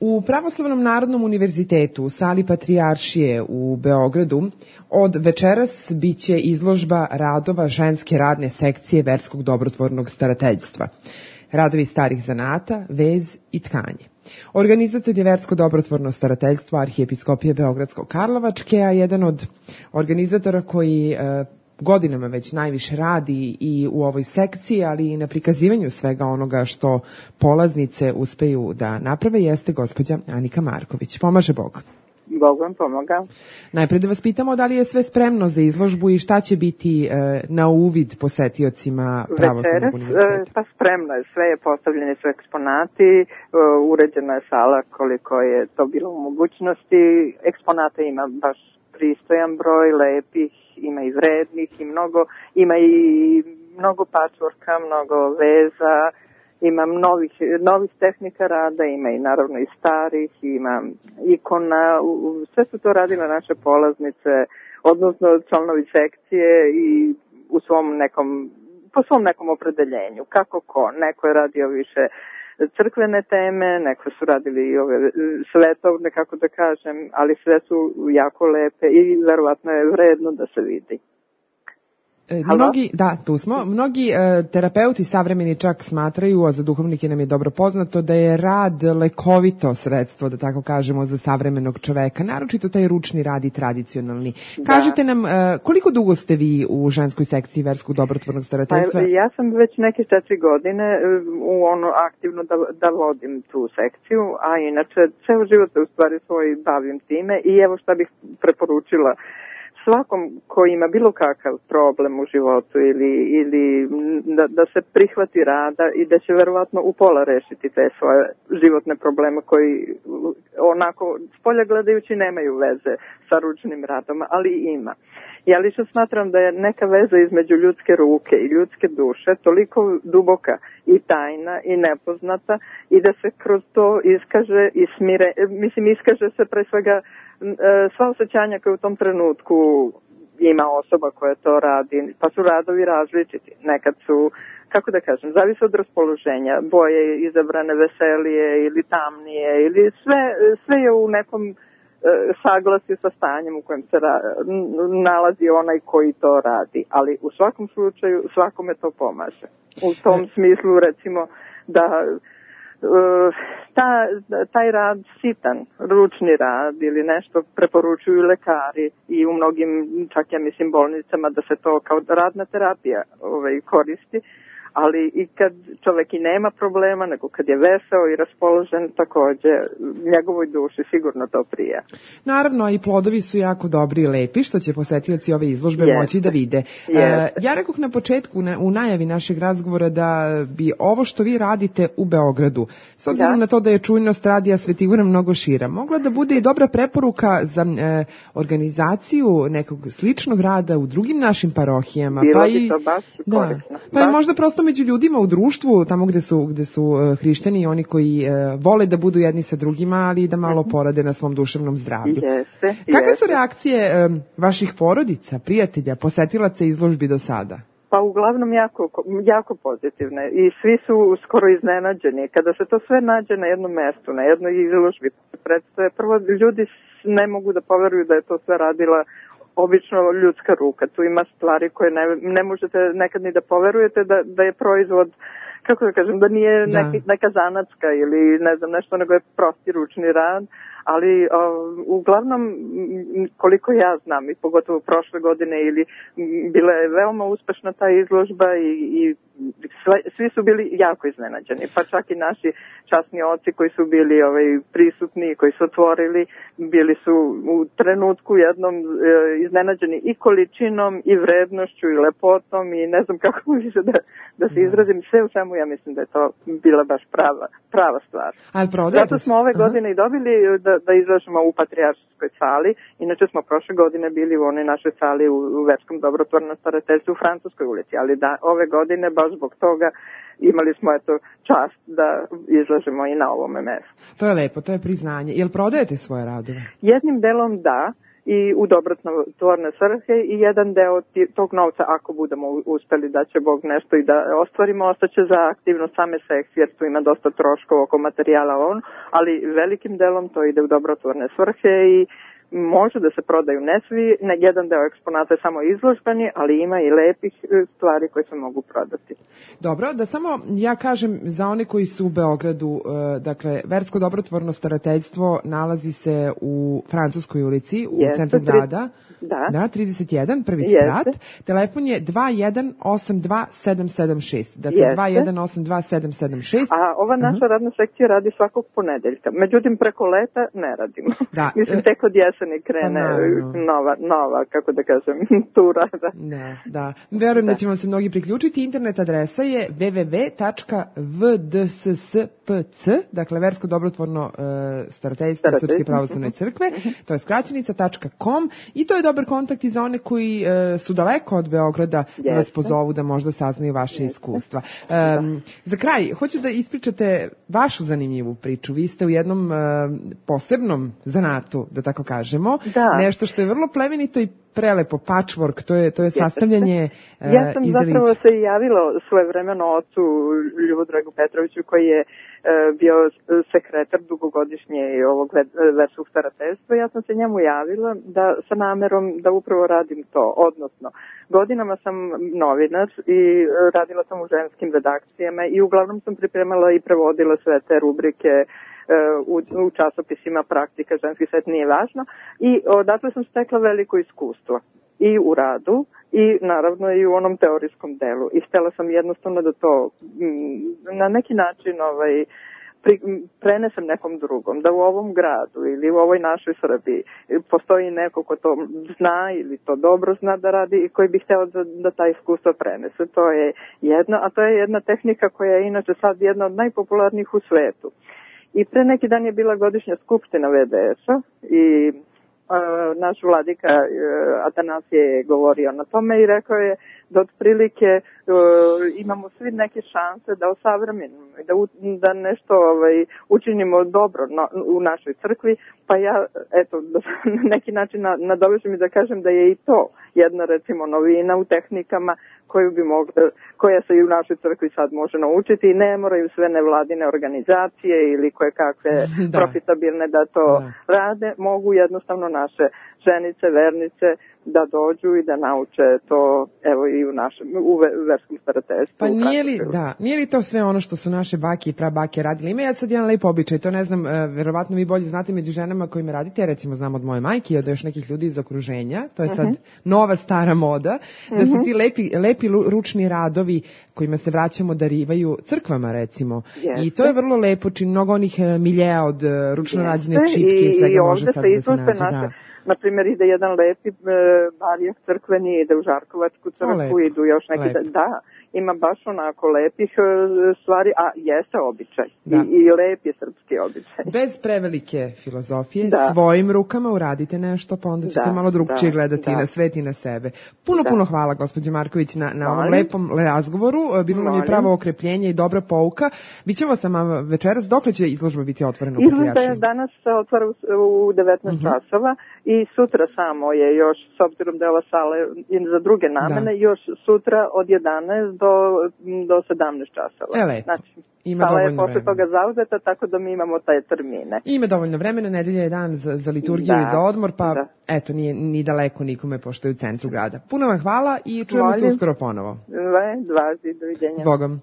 U Pravoslavnom narodnom univerzitetu u sali Patrijaršije u Beogradu od večeras biće izložba radova ženske radne sekcije verskog dobrotvornog starateljstva. Radovi starih zanata, vez i tkanje. Organizator je versko dobrotvorno starateljstvo Arhijepiskopije Beogradsko-Karlovačke, a jedan od organizatora koji godinama već najviše radi i u ovoj sekciji, ali i na prikazivanju svega onoga što polaznice uspeju da naprave, jeste gospođa Anika Marković. Pomaže Bog. Bog vam pomaga. Najpre da vas pitamo da li je sve spremno za izložbu i šta će biti na uvid posetiocima Pravoslavnog univerziteta? Pa spremno je, sve je postavljene su eksponati, uređena je sala koliko je to bilo u mogućnosti, eksponata ima baš pristojan broj, lepih, ima i vrednih i ima i mnogo patchworka, mnogo veza, ima novih tehnika rada, ima i naravno i starih, ima ikona, sve su to radile naše polaznice, odnosno članovi sekcije i po svom nekom opredeljenju, kako ko, neko je radio više crkvene teme, neko su radili i ove svetovne, kako da kažem, ali sve su jako lepe i verovatno je vredno da se vidi. Mnogi terapeuti savremeni čak smatraju, a za duhovnike nam je dobro poznato, da je rad lekovito sredstvo, da tako kažemo, za savremenog čoveka, naročito taj ručni rad i tradicionalni. Da. Kažite nam, koliko dugo ste vi u ženskoj sekciji verskog dobrotvornog starateljstva? Pa, ja sam već neke 4 godine aktivno da vodim tu sekciju, a inače ceo život se u stvari svoj bavim time i evo šta bih preporučila svakom ko ima bilo kakav problem u životu ili da se prihvati rada i da će verovatno u pola rešiti te svoje životne probleme koji onako spolja gledajući nemaju veze sa ručnim radom, ali ima. Ja lično smatram da je neka veza između ljudske ruke i ljudske duše toliko duboka i tajna i nepoznata i da se kroz to iskaže i iskaže se pre svega sva osjećanja koje u tom trenutku ima osoba koja to radi, pa su radovi različiti. Nekad su, kako da kažem, zavisi od raspoloženja, boje izabrane veselije ili tamnije, ili sve je u nekom saglasju sa stanjem u kojem se nalazi onaj koji to radi. Ali u svakom slučaju svakome to pomaže. U tom smislu recimo da taj rad sitan, ručni rad ili nešto preporučuju lekari i u mnogim, čak ja mislim, bolnicama da se to kao radna terapija koristi, ali i kad čovek i nema problema, nego kad je veseo i raspoložen, takođe njegovoj duši sigurno to prija. Naravno, i plodovi su jako dobri i lepi, što će posetioci ove izložbe moći da vide. Ja rekoh na početku, u najavi našeg razgovora, da bi ovo što vi radite u Beogradu, s obzirom na to da je čujnost radija Svetigora mnogo šira, mogla da bude i dobra preporuka za organizaciju nekog sličnog rada u drugim našim parohijama. Bilo bi to baš korisno. Pa i možda prosto među ljudima u društvu, tamo gde su hrišćani i oni koji vole da budu jedni sa drugima, ali i da malo porade na svom duševnom zdravlju. Kakve su reakcije vaših porodica, prijatelja, posetilaca izložbi do sada? Pa uglavnom jako pozitivne i svi su skoro iznenađeni. Kada se to sve nađe na jednom mestu, na jednoj izložbi, predstave, prvo ljudi ne mogu da poveruju da je to sve radila obično ljudska ruka. Tu ima stvari koje ne možete nekad ni da poverujete da je proizvod, kako da kažem, da nije neka zanatska ili ne znam nešto, nego je prosti ručni rad, ali uglavnom koliko ja znam i pogotovo prošle godine bila je veoma uspešna ta izložba i svi su bili jako iznenađeni, pa čak i naši časni oci koji su bili prisutni, koji su otvorili, bili su u trenutku jednom iznenađeni i količinom i vrednošću i lepotom i ne znam kako više da se izrazim, sve u svemu ja mislim da je to bila baš prava stvar. Zato smo ove godine i dobili da izlažemo u Patrijarškoj sali, inače smo prošle godine bili u onoj našoj sali u Verskom dobrotvornom starateljstvu u Francuskoj ulici, ali ove godine baš zbog toga imali smo čast da izlažemo i na ovome mestu. To je lepo, to je priznanje. Jel prodajete svoje radove? Jednim delom da, i u dobrotvorne svrhe i jedan deo tog novca, ako budemo uspeli da će Bog nešto i da ostvarimo, ostaće za aktivnost same sekcije, jer tu ima dosta troškova oko materijala, ali velikim delom to ide u dobrotvorne svrhe i može da se prodaju ne svi, jedan deo eksponata je samo izložbeni, ali ima i lepih stvari koje se mogu prodati. Dobro, da samo ja kažem za one koji su u Beogradu, dakle, Versko dobrotvorno starateljstvo nalazi se u Francuskoj ulici, u centru grada. Da, 31, prvi sprat. Telefon je 2182776. Dakle, 2182776. A ova naša radna sekcija radi svakog ponedeljka. Međutim, preko leta ne radimo. Da. Mislim, tek od jeseni krene nova, kako da kažem, tura. Da. Verujem da ćemo se mnogi priključiti. Internet adresa je www.vdsspc, dakle, Versko dobrotvorno starateljstvo Srpske pravoslavne crkve, to je skraćenica.com i to je dobar kontakt i za one koji su daleko od Beograda da vas pozovu da možda saznaju vaše iskustva. Za kraj, hoću da ispričate vašu zanimljivu priču. Vi ste u jednom posebnom zanatu, da tako kažemo, nešto što je vrlo plemenito i prelepo, patchwork, to je sastavljanje ja sam zapravo se javila svojevremeno ocu Ljubodragu Petroviću, koji je bio sekretar dugogodišnje ovog verskog starateljstva. Ja sam se njemu javila sa namerom da upravo radim to, odnosno godinama sam novinar i radila sam u ženskim redakcijama i uglavnom sam pripremala i prevodila sve te rubrike u časopisima, praktika, ženski svet, nije važno, i odatle sam stekla veliko iskustvo i u radu i naravno i u onom teorijskom delu i htela sam jednostavno da to na neki način prenesem nekom drugom, da u ovom gradu ili u ovoj našoj Srbiji postoji neko ko to zna ili to dobro zna da radi i koji bi hteo da taj iskustvo prenese. To je jedno, a to je jedna tehnika koja je inače sad jedna od najpopularnijih u svetu. I pre neki dan je bila godišnja skupština VDS-a i naš vladika Atanasije je govorio na tome i rekao je da otprilike imamo svi neke šanse da osavremenimo i da nešto učinimo dobro u našoj crkvi, pa ja na neki način nadovežem i da kažem da je i to jedna recimo novina u tehnikama koja se i u našoj crkvi sad može naučiti i ne moraju sve nevladine organizacije ili koje kakve profitabilne da to rade, mogu jednostavno naše ženice, vernice da dođu i da nauče to i u verskom starateljstvu. Pa nije li to sve ono što su naše bake i prabake radile? Ima sad jedan lep običaj, to ne znam, verovatno vi bolje znate među ženama kojima radite, ja recimo znam od moje majke i od još nekih ljudi iz okruženja, to je sad nova stara moda, da se ti lepi ručni radovi kojima se vraćamo darivaju crkvama recimo. I to je vrlo lepo, mnogo onih miljeja od ručno rađene čipke i svega može sad da se nađe. Naprimjer, ide jedan lepi barijak crkveni, ide u Žarkovačku crkvu, idu još neki... Ima baš onako lepih stvari, a jeste običaj. I lep je srpski običaj. Bez prevelike filozofije, svojim rukama uradite nešto, pa onda ćete malo drugčije gledati na svet i na sebe. Puno hvala, gospođo Marković, na ovom lepom razgovoru. Bilo nam je pravo okrepljenje i dobra pouka. Bićemo sa vama večeras. Dokle će izložba biti otvorena u Patrijaršiji? Izložba danas se otvara u 19 časova i sutra samo je još, s obzirom da je ova sala za druge namene, još sutra od 11 do 17 časova. Znači, sala je posle toga zauzeta, tako da mi imamo taj termine. Ima dovoljno vremena, nedelja je dan za liturgiju i za odmor, pa eto, nije ni daleko nikome, pošto je u centru grada. Puno vam hvala i čujemo se uskoro ponovo. Doviđenja. Zbogom.